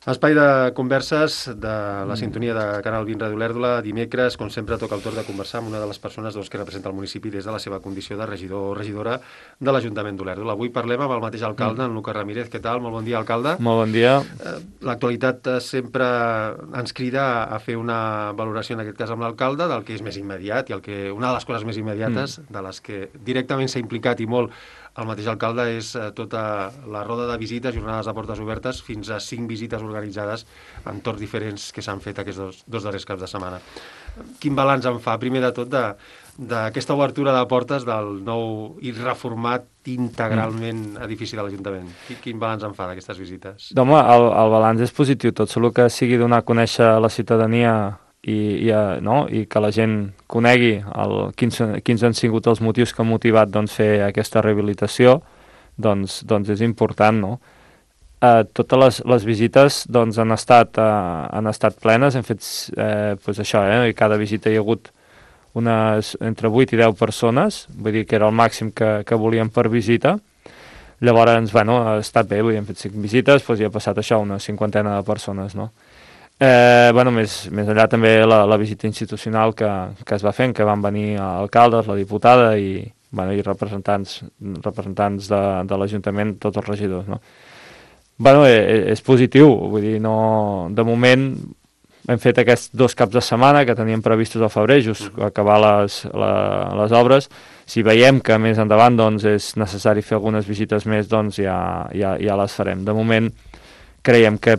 Espai de converses de la sintonia de Canal 20 Ràdio Olèrdola. Dimecres, com sempre, toca el torn de conversar amb una de les persones que representa el municipi des de la seva condició de regidor o regidora de l'Ajuntament d'Olèrdola. Avui parlem amb el mateix alcalde, en Lucas Ramírez. Què tal? Molt bon dia, alcalde. Molt bon dia. L'actualitat sempre ens crida a fer una valoració, en aquest cas amb l'alcalde, del que és més immediat i una de les coses més immediates, de les que directament s'ha implicat i molt el mateix alcalde, és tota la roda de visites, jornades de portes obertes, fins a 5 visites organitzades en torns diferents que s'han fet aquests dos darrers caps de setmana. Quin balanç en fa, primer de tot, d'aquesta obertura de portes del nou i reformat integralment edifici de l'Ajuntament? Quin balanç en fa d'aquestes visites? Home, el balanç és positiu, tot solo que sigui donar a conèixer a la ciutadania i que la gent conegui quins han sigut els motius que han motivat fer aquesta rehabilitació, doncs és important, no? Totes les visites han estat plenes, hem fet això, i cada visita hi ha hagut entre 8 i 10 persones, vull dir que era el màxim que volíem per visita. Llavors, ha estat bé, hem fet 5 visites, i ha passat això, una 50 de persones, no? Més enllà també la visita institucional que es va fent, que van venir alcaldes, la diputada i representants de l'Ajuntament, tots els regidors, no? És positiu, vull dir, no, de moment hem fet aquests 2 caps de setmana que teníem previstos al febrer, just acabar les obres. Si veiem que més endavant és necessari fer algunes visites més, ja les farem. De moment creiem que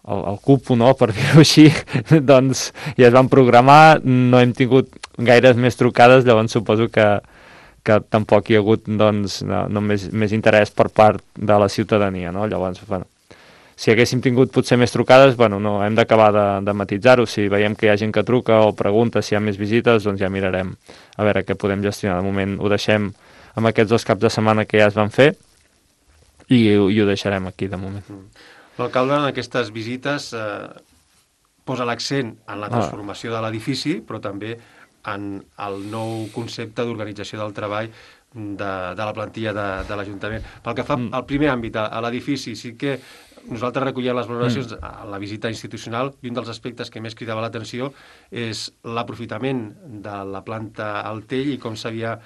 el cupo, no, per dir-ho així, ja es van programar, no hem tingut gaires més trucades, llavors suposo que tampoc hi ha hagut més interès per part de la ciutadania, no? Llavors, si haguéssim tingut potser més trucades, no, hem d'acabar de matisar-ho. Si veiem que hi ha gent que truca o pregunta si hi ha més visites, ja mirarem a veure què podem gestionar. De moment ho deixem amb aquests 2 caps de setmana que ja es van fer i ho deixarem aquí de moment. L'alcalde en aquestes visites posa l'accent en la transformació de l'edifici, però també en el nou concepte d'organització del treball de la plantilla de l'Ajuntament. Pel que fa al primer àmbit, a l'edifici, sí que nosaltres recollíem les valoracions a la visita institucional i un dels aspectes que més cridava l'atenció és l'aprofitament de la planta al Tell i com s'havia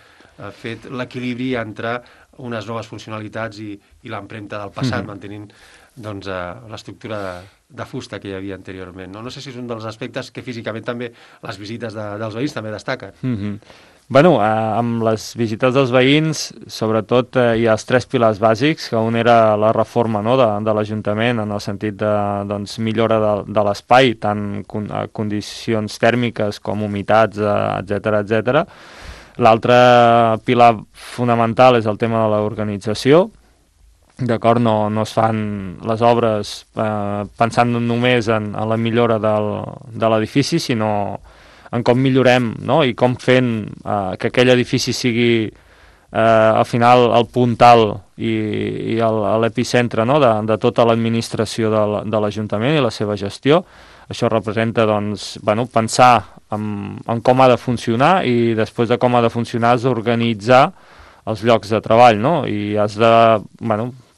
fet l'equilibri entre unes noves funcionalitats i l'empremta del passat, mantenint l'estructura de fusta que hi havia anteriorment. No sé si és un dels aspectes que físicament també les visites dels veïns també destaquen. Amb les visites dels veïns, sobretot hi ha els 3 pilars bàsics, que un era la reforma, no, de l'Ajuntament, en el sentit de millora de l'espai, tant condicions tèrmiques com humitats, etc. L'altre pilar fonamental és el tema de l'organització. D'acord, no es fan les obres pensant només en la millora de l'edifici, sinó en com millorem, no? I com fent que aquell edifici sigui al final el puntal i l'epicentre, no? de tota l'administració de l'Ajuntament i la seva gestió. Això representa pensar en com ha de funcionar i després de com ha de funcionar has d'organitzar els llocs de treball, no? I has de,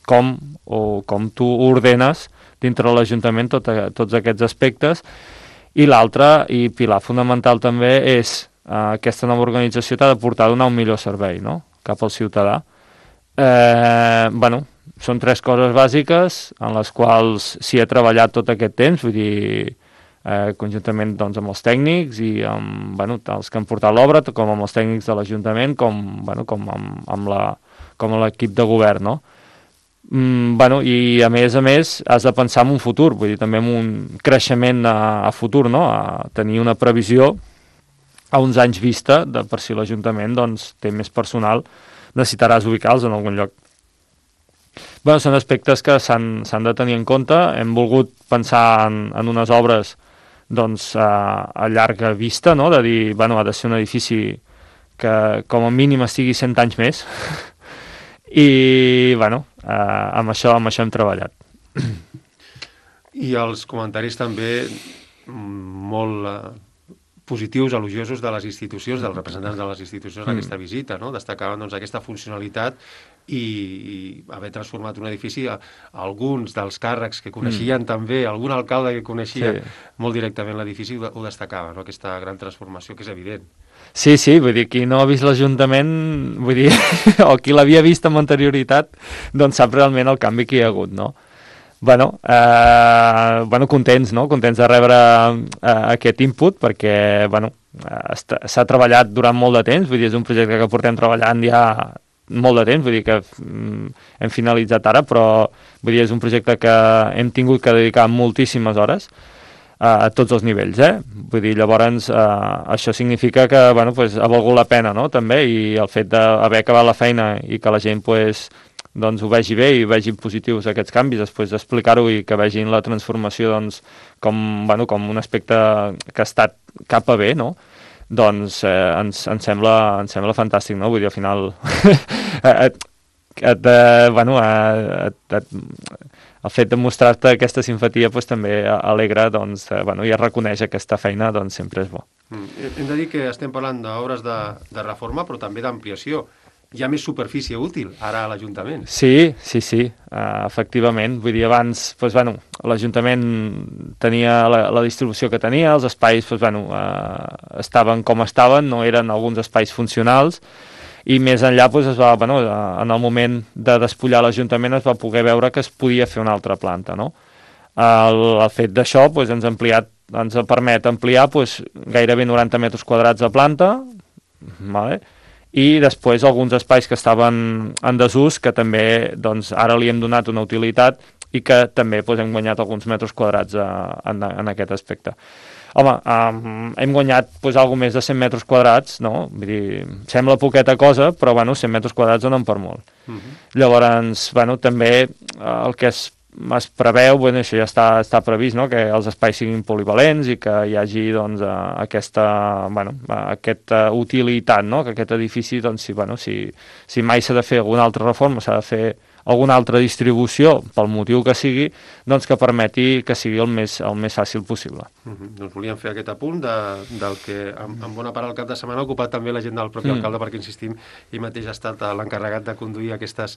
com tu ordenes dintre de l'Ajuntament tots aquests aspectes. I l'altre, i pilar fonamental també, és aquesta nova organització t'ha de portar a donar un millor servei, no?, cap al ciutadà. Són 3 coses bàsiques en les quals s'hi ha treballat tot aquest temps, vull dir, conjuntament amb els tècnics i amb els que han portat l'obra, com amb els tècnics de l'Ajuntament, com amb l'equip de govern, no? I a més has de pensar en un futur, vull dir, també en un creixement a futur, no? A tenir una previsió a uns anys vista per si l'Ajuntament té més personal, necessitaràs ubicar-los en algun lloc. Són aspectes que s'han de tenir en compte. Hem volgut pensar en unes obres a llarga vista, no? De dir, ha de ser un edifici que com a mínim estigui 100 anys més. I, amb això hem treballat. I els comentaris també molt positius, elogiosos de les institucions, dels representants de les institucions en aquesta visita, no? Destacaven aquesta funcionalitat i haver transformat un edifici, alguns dels càrrecs que coneixien també, algun alcalde que coneixia molt directament l'edifici ho destacava, no? Aquesta gran transformació que és evident. Sí, vull dir, qui no ha vist l'Ajuntament, vull dir, o qui l'havia vist amb anterioritat, doncs sap realment el canvi que hi ha hagut, no? Bueno, contents, no? Contents de rebre aquest input, perquè, bueno, s'ha treballat durant molt de temps, vull dir, és un projecte que portem treballant ja molt de temps, vull dir que hem finalitzat ara, però vull dir, és un projecte que hem tingut que dedicar moltíssimes hores a tots els nivells, Vull dir, llavors això significa que, bueno, pues, ha valgut la pena, no?, també, i el fet d'haver acabat la feina i que la gent, pues, doncs ho vegi bé i vegin positius aquests canvis, després d'explicar-ho i que vegin la transformació, doncs, com un aspecte que ha estat cap a bé, no?, doncs ens sembla fantàstic, no? Vull dir, al final el fet de mostrar-te aquesta simpatia pues, també alegra, doncs, i es reconeix aquesta feina, doncs sempre és bo. Hem de dir que estem parlant d'obres de reforma, però també d'ampliació. Hi ha més superfície útil ara a l'Ajuntament. Sí, efectivament. Vull dir, abans, doncs, l'Ajuntament tenia la distribució que tenia, els espais estaven com estaven, no eren alguns espais funcionals, i més enllà doncs, en el moment de despullar l'Ajuntament es va poder veure que es podia fer una altra planta, no? El fet d'això doncs, ens permet ampliar doncs, gairebé 90 metres quadrats de planta, vale? I després alguns espais que estaven en desús, que també doncs, ara li hem donat una utilitat i que també doncs, hem guanyat alguns metres quadrats en aquest aspecte. Home, hem guanyat doncs, alguna més de 100 metres quadrats, no? Vull dir, sembla poqueta cosa, però 100 metres quadrats donen per molt. Llavors, també el que es preveu, això ja està previst, no? Que els espais siguin polivalents i que hi hagi doncs, aquesta utilitat, no? Que aquest edifici, doncs, si mai s'ha de fer alguna altra reforma, s'ha de fer alguna altra distribució, pel motiu que sigui, doncs que permeti que sigui el més fàcil possible. Doncs volíem fer aquest apunt del que en bona part el cap de setmana ha ocupat també l'agenda del propi alcalde, perquè insistim, ell mateix ha estat l'encarregat de conduir aquestes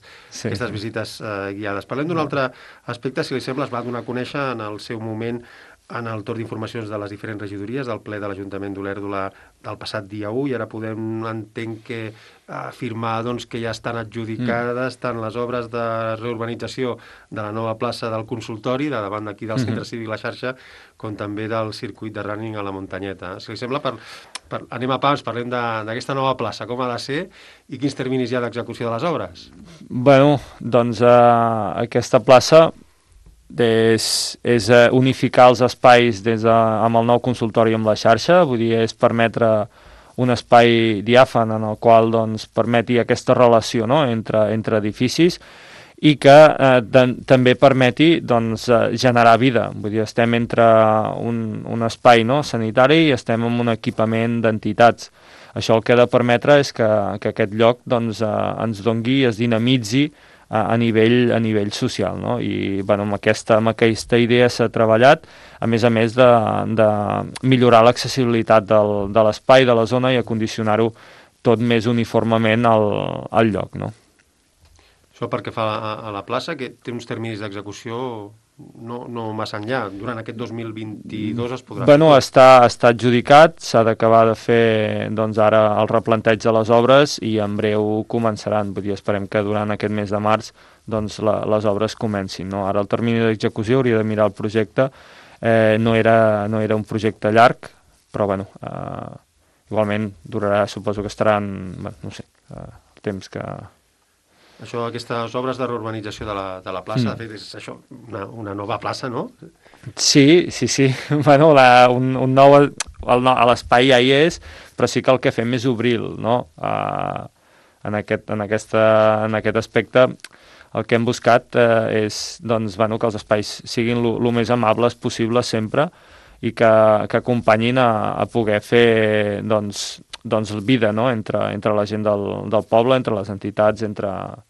visites guiades. Parlem d'un altre aspecte, si li sembla, es va donar a conèixer en el seu moment en el torn d'informacions de les diferents regidories del ple de l'Ajuntament d'Olèrdola del passat dia 1, i ara podem, entenc que, afirmar doncs, que ja estan adjudicades tant les obres de reurbanització de la nova plaça del consultori, de davant d'aquí del Centre Cívic La Xarxa, com també del circuit de running a la muntanyeta. Si li sembla, anem a pams, parlem d'aquesta nova plaça, com ha de ser i quins terminis hi ha d'execució de les obres. Doncs aquesta plaça és unificar els espais amb el nou consultori amb la xarxa, vull dir, és permetre un espai diàfan en el qual doncs, permeti aquesta relació, no?, entre edificis i que també permeti doncs, generar vida. Vull dir, estem entre un espai, no?, sanitari i estem en un equipament d'entitats. Això el que ha de permetre és que aquest lloc doncs, ens dongui, es dinamitzi a nivell social, no? I amb aquesta idea s'ha treballat, a més de millorar l'accessibilitat de l'espai, de la zona, i acondicionar-ho tot més uniformement al lloc, no? Això perquè fa a la plaça, que té uns terminis d'execució no massa enllà. Durant aquest 2022 es podrà fer. Està adjudicat, s'ha d'acabar de fer doncs, ara el replanteig de les obres i en breu començaran. Vull dir, esperem que durant aquest mes de març doncs, les obres comencin, no? Ara el termini d'execució hauria de mirar el projecte. No era un projecte llarg, però igualment durarà, suposo que estaran, el temps que... Això, aquestes obres de reurbanització de la plaça, de fet, és això, una nova plaça, no? Sí. Un nou... L'espai ja hi és, però sí que el que fem és obrir-lo, no? En aquest aspecte, el que hem buscat és doncs, que els espais siguin el més amables possible sempre i que acompanyin a poder fer doncs, vida, no? entre la gent del poble, entre les entitats, entre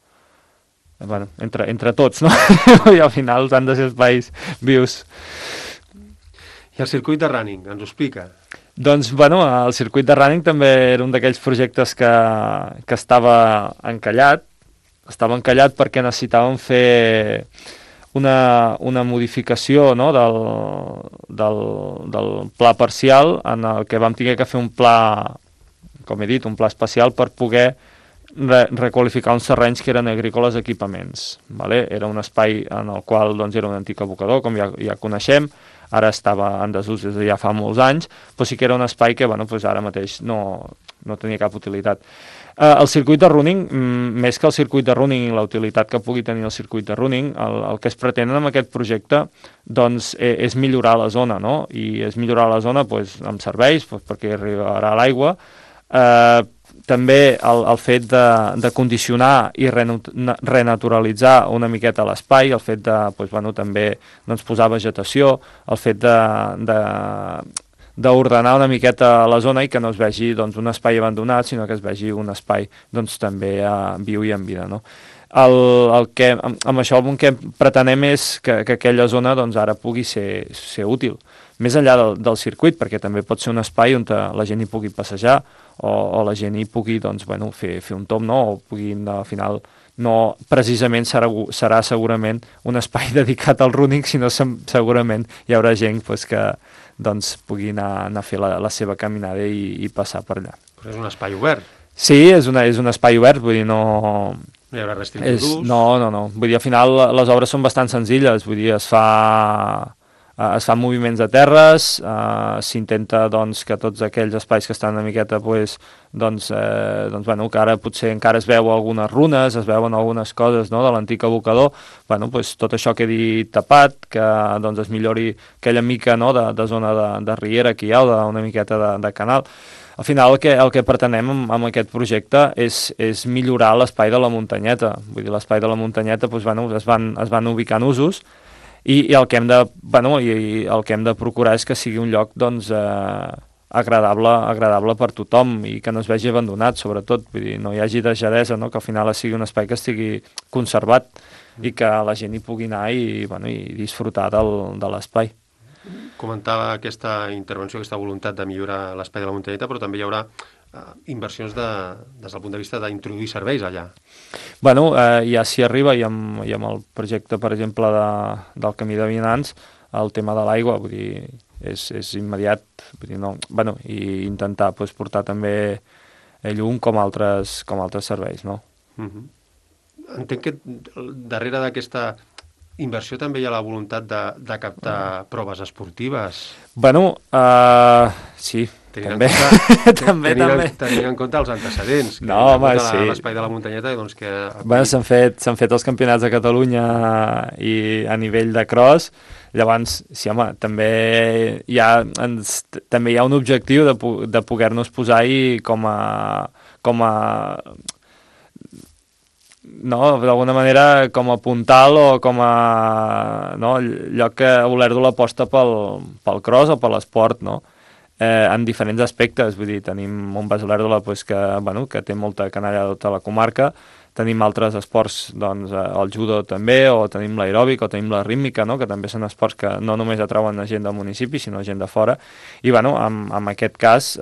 tots, no? I al final han de ser espais vius. I el circuit de running, ens ho explica? Doncs, el circuit de running també era un d'aquells projectes que estava encallat, estava encallat perquè necessitàvem fer una modificació, no?, del pla parcial, en el que vam tenir que fer un pla, com he dit, un pla especial per poder requalificar uns terrenys que eren agrícoles equipaments. Vale? Era un espai en el qual doncs, era un antic abocador, com ja coneixem, ara estava en desús des de ja fa molts anys, però sí que era un espai que bueno, doncs ara mateix no tenia cap utilitat. El circuit de running, més que el circuit de running i la utilitat que pugui tenir el circuit de running, el que es pretén amb aquest projecte doncs, és millorar la zona, no? I és millorar la zona doncs, amb serveis, doncs, perquè arribarà l'aigua, també el fet de condicionar i renaturalitzar una miqueta l'espai, el fet de doncs, bueno, també doncs, posar vegetació, el fet d'ordenar una miqueta la zona i que no es vegi doncs, un espai abandonat, sinó que es vegi un espai doncs, també viu i en vida. No? Amb això el que pretenem és que aquella zona doncs, ara pugui ser útil, més enllà del circuit, perquè també pot ser un espai on la gent hi pugui passejar o la gent hi pugui doncs, bueno, fer un tom, no? O puguin al final no precisament serà segurament un espai dedicat al running, sinó segurament hi haurà gent pues, que doncs, pugui anar a fer la seva caminada i passar per allà. Però és un espai obert. Sí, és un espai obert, vull dir, no hi haurà restricció d'ús? No. Vull dir, al final les obres són bastant senzilles, vull dir, es fan moviments de terres, s'intenta doncs, que tots aquells espais que estan una miqueta doncs, bueno, que ara potser encara es veu algunes runes, es veuen algunes coses no, de l'antic abocador, bueno, doncs, tot això quedi tapat, que doncs, es millori aquella mica no, de zona de riera que hi ha, o una miqueta de canal. Al final el que pretenem amb aquest projecte és millorar l'espai de la muntanyeta. Vull dir, l'espai de la muntanyeta doncs, bueno, es van ubicant usos, i el que hem de procurar és que sigui un lloc doncs, agradable per tothom i que no es vegi abandonat, sobretot, vull dir, no hi hagi deixadesa, no? Que al final sigui un espai que estigui conservat i que la gent hi pugui anar i disfrutar de l'espai. Comentava aquesta intervenció, aquesta voluntat de millorar l'espai de la muntanyeta, però també hi haurà inversions des del punt de vista d'introduir serveis allà. Bueno, ja s'hi arriba i amb el projecte, per exemple, del Camí de Vianants, el tema de l'aigua, vull dir, és immediat, vull dir, no, bueno, i intentar pues, portar també llum com altres serveis, no? Entenc que darrere d'aquesta inversió també hi ha la voluntat de captar proves esportives. Bueno, sí, també. Tenint en compte els antecedents. No, home, sí. L'espai de la muntanyeta, doncs que... Bueno, s'han fet els campionats de Catalunya i a nivell de cross. Llavors, sí, home, també hi ha un objectiu de poder-nos posar-hi com a no, d'alguna manera com a puntal o com a no, lloc que Olèrdola aposta pel cross o per l'esport, no? En diferents aspectes, vull dir, tenim un Bas Olèrdola pues, que té molta canalla de tota la comarca, tenim altres esports, doncs, el judo també, o tenim l'aeròbic, o tenim la rítmica, no? Que també són esports que no només atrauen gent del municipi, sinó gent de fora, i bueno, en aquest cas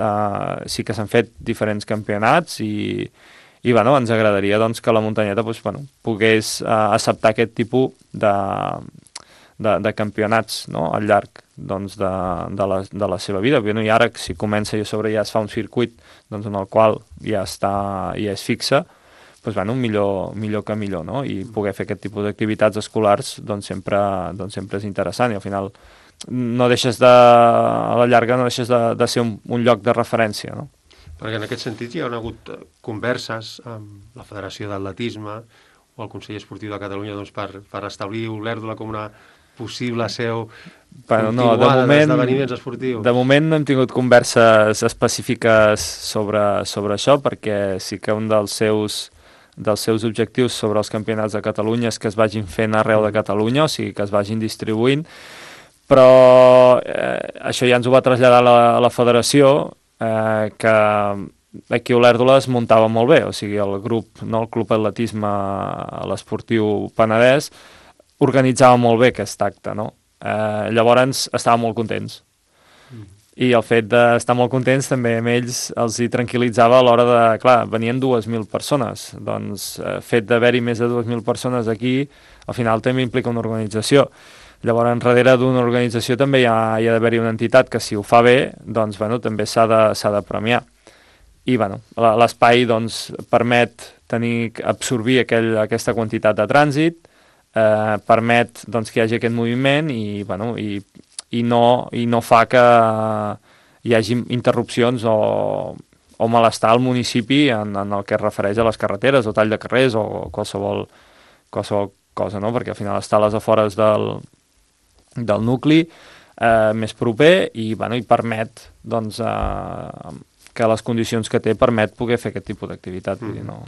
sí que s'han fet diferents campionats i bueno, ens agradaria doncs, que la muntanyeta doncs, bueno, pogués acceptar aquest tipus de campionats no? Al llarg doncs, de la seva vida. Bueno, i ara, si comença i a sobre ja es fa un circuit doncs, en el qual ja és fixe, doncs, bueno, millor que millor, no? I poder fer aquest tipus d'activitats escolars doncs, sempre és interessant i al final a la llarga no deixes de ser un lloc de referència, no? Perquè en aquest sentit hi ha hagut converses amb la Federació d'Atletisme o el Consell Esportiu de Catalunya doncs, per establir Olèrdola com una possible seu continuada d'esdeveniments esportius. De moment no hem tingut converses específiques sobre això, perquè sí que un dels seus objectius sobre els campionats de Catalunya és que es vagin fent arreu de Catalunya, o sigui que es vagin distribuint, però això ja ens ho va traslladar la Federació, que aquí a Olèrdola es muntava molt bé, o sigui, el grup, no, el Club Atletisme a l'Esportiu Penedès organitzava molt bé aquest acte, no? Llavors estàvem molt contents. I el fet d'estar molt contents també amb ells els hi tranquil·litzava a l'hora de... Clar, venien 2.000 persones, doncs fet d'haver-hi més de 2.000 persones aquí, al final també implica una organització. Llavors, darrere d'una organització també hi ha d'haver-hi una entitat que si ho fa bé, doncs, bueno, també s'ha de premiar. I, bueno, l'espai, doncs, permet absorbir aquesta quantitat de trànsit, permet, doncs, que hi hagi aquest moviment i, bueno, i no fa que hi hagi interrupcions o malestar al municipi en el que es refereix a les carreteres o tall de carrers o qualsevol cosa, no? Perquè al final està a les afores del nucli més proper i, bueno, i permet, doncs, que les condicions que té permet poder fer aquest tipus d'activitat. Vull dir, no...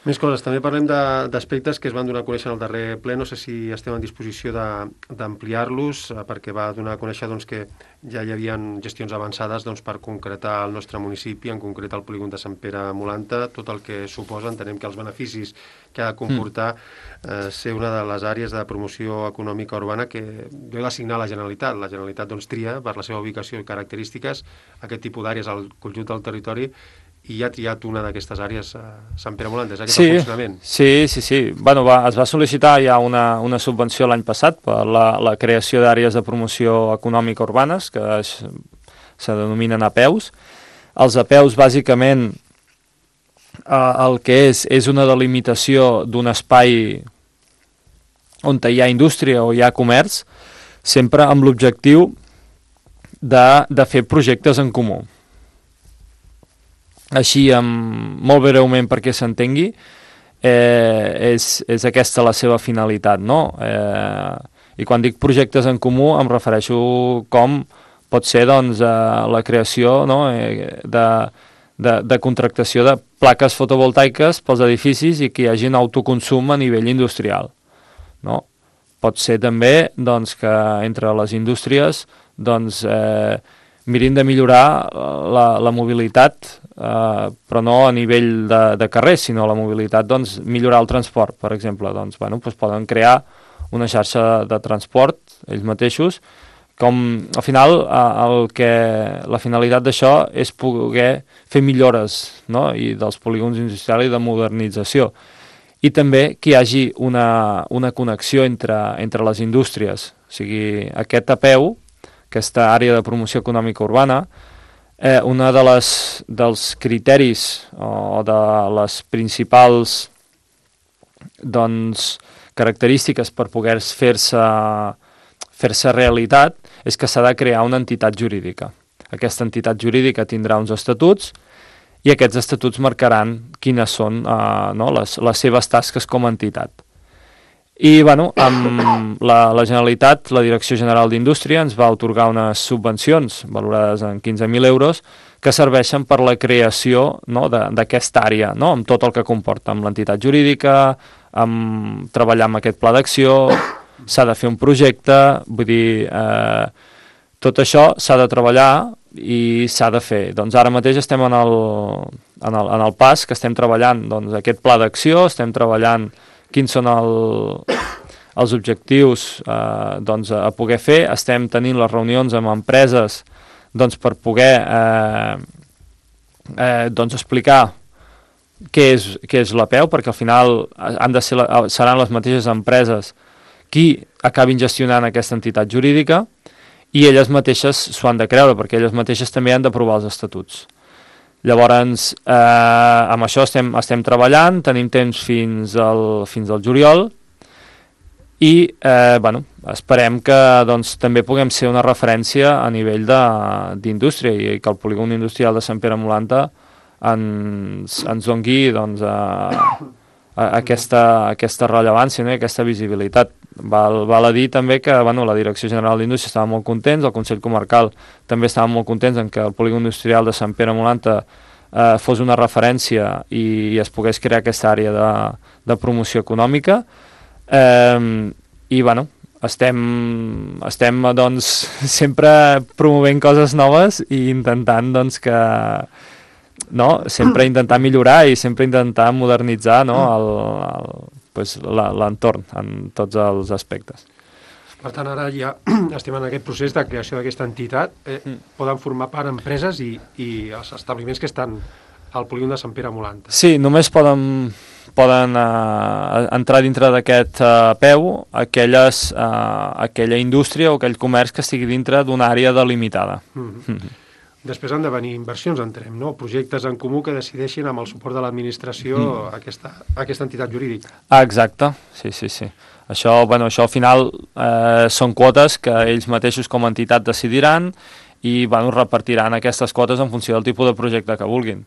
Més coses. També parlem d'aspectes que es van donar a conèixer en el darrer ple. No sé si estem en disposició d'ampliar-los, perquè va donar a conèixer, doncs, que ja hi havia gestions avançades, doncs, per concretar el nostre municipi, en concret el polígon de Sant Pere Molanta, tot el que suposa. Entenem que els beneficis que ha de comportar ser una de les àrees de promoció econòmica urbana que deu d'assignar la Generalitat. La Generalitat, doncs, tria, per la seva ubicació i característiques, aquest tipus d'àrees al conjunt del territori, i ha triat una d'aquestes àrees a Sant Pere Molanta. És aquest el funcionament? Sí. Bueno, es va sol·licitar ja una subvenció l'any passat per la creació d'àrees de promoció econòmica urbanes, que se denominen APEUs. Els APEUs, bàsicament, el que és una delimitació d'un espai on hi ha indústria o hi ha comerç, sempre amb l'objectiu de fer projectes en comú. Així, molt breument perquè s'entengui, és aquesta la seva finalitat, no? I quan dic projectes en comú em refereixo com pot ser, doncs, la creació, no? de contractació de plaques fotovoltaiques pels edificis i que hi hagi un autoconsum a nivell industrial, no? Pot ser també, doncs, que entre les indústries, doncs, mirin de millorar la mobilitat, però no a nivell de carrers, sinó la mobilitat, doncs, millorar el transport, per exemple. Doncs, bueno, doncs poden crear una xarxa de transport, ells mateixos, com, al final, la finalitat d'això és poder fer millores, no? I dels polígons industrials i de modernització. I també que hi hagi una connexió entre les indústries. O sigui, aquest APEU, aquesta àrea de promoció econòmica urbana, una dels criteris o de les principals, doncs, característiques per poder fer-se realitat és que s'ha de crear una entitat jurídica. Aquesta entitat jurídica tindrà uns estatuts i aquests estatuts marcaran quines són les seves tasques com a entitat. I, bueno, amb la Generalitat, la Direcció General d'Indústria, ens va atorgar unes subvencions valorades en 15.000 euros que serveixen per la creació, no, d'aquesta àrea, no, amb tot el que comporta, amb l'entitat jurídica, amb treballar amb aquest pla d'acció, s'ha de fer un projecte, vull dir, tot això s'ha de treballar i s'ha de fer. Doncs ara mateix estem en el pas que estem treballant, doncs, aquest pla d'acció, estem treballant quins són els objectius doncs, a poder fer. Estem tenint les reunions amb empreses, doncs, per poder doncs, explicar què és l'APEU, perquè al final seran les mateixes empreses qui acabin gestionant aquesta entitat jurídica i elles mateixes s'ho han de creure, perquè elles mateixes també han d'aprovar els estatuts. Llavors, amb això estem treballant, tenim temps fins al juliol i, bueno, esperem que, doncs, també puguem ser una referència a nivell d'indústria i que el polígon industrial de Sant Pere Molanta ens doni, doncs, aquesta rellevància, no? Aquesta visibilitat. Val a dir també que, bueno, la Direcció General d'Indústria estava molt contents, el Consell Comarcal també estava molt contents en que el polígon industrial de Sant Pere Molanta fos una referència i es pogués crear aquesta àrea de promoció econòmica. I, bueno, estem doncs, sempre promovent coses noves i intentant, doncs, que... No? Sempre intentar millorar i sempre intentar modernitzar, no? L'entorn en tots els aspectes. Per tant, ara ja estem en aquest procés de creació d'aquesta entitat. Poden formar part empreses i els establiments que estan al polígon de Sant Pere Molanta. Sí, només poden entrar dintre d'aquest peu aquella indústria o aquell comerç que estigui dintre d'una àrea delimitada. Després han de venir inversions, entenem, no? Projectes en comú que decideixin amb el suport de l'administració aquesta entitat jurídica. Exacte, sí. Això al final són quotes que ells mateixos com a entitat decidiran i repartiran aquestes quotes en funció del tipus de projecte que vulguin.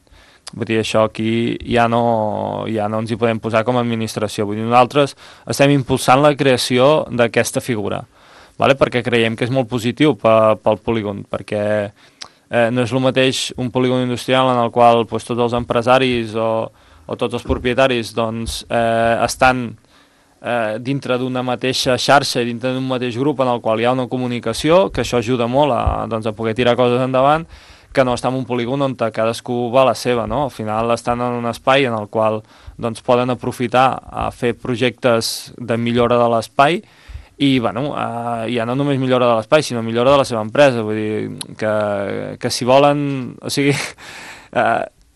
Vull dir, això aquí ja no ens hi podem posar com a administració. Vull dir, nosaltres estem impulsant la creació d'aquesta figura, perquè creiem que és molt positiu pel polígon, perquè no és el mateix un polígon industrial en el qual tots els empresaris o tots els propietaris estan dintre d'una mateixa xarxa i dintre d'un mateix grup en el qual hi ha una comunicació, que això ajuda molt a poder tirar coses endavant, que no està en un polígon on cadascú va a la seva, no? Al final estan en un espai en el qual poden aprofitar a fer projectes de millora de l'espai i ja no només millora de l'espai, sinó millora de la seva empresa. Vull dir que si volen,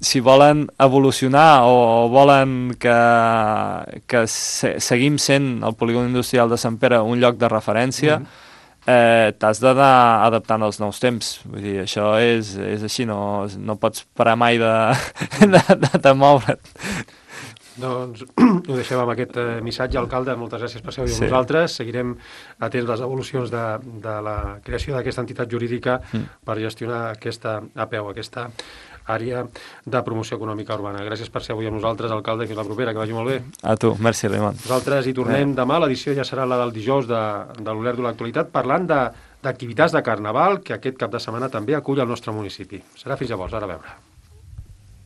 si volen evolucionar o volen que seguim sent el polígon industrial de Sant Pere un lloc de referència, t'has d'anar adaptant als nous temps. Vull dir, això és així, no pots parar mai de moure't. Doncs ho deixem amb aquest missatge, alcalde. Moltes gràcies per ser-hi amb nosaltres. Seguirem atents les evolucions de la creació d'aquesta entitat jurídica per gestionar aquesta APEU, aquesta àrea de promoció econòmica urbana. Gràcies per ser avui amb nosaltres, alcalde. Fins la propera, que vagi molt bé. A tu, merci, Raimon. Nosaltres hi tornem demà. L'edició ja serà la del dijous de l'Olerdo de l'actualitat, parlant d'activitats de carnaval que aquest cap de setmana també acull al nostre municipi. Serà fins llavors, ara a veure.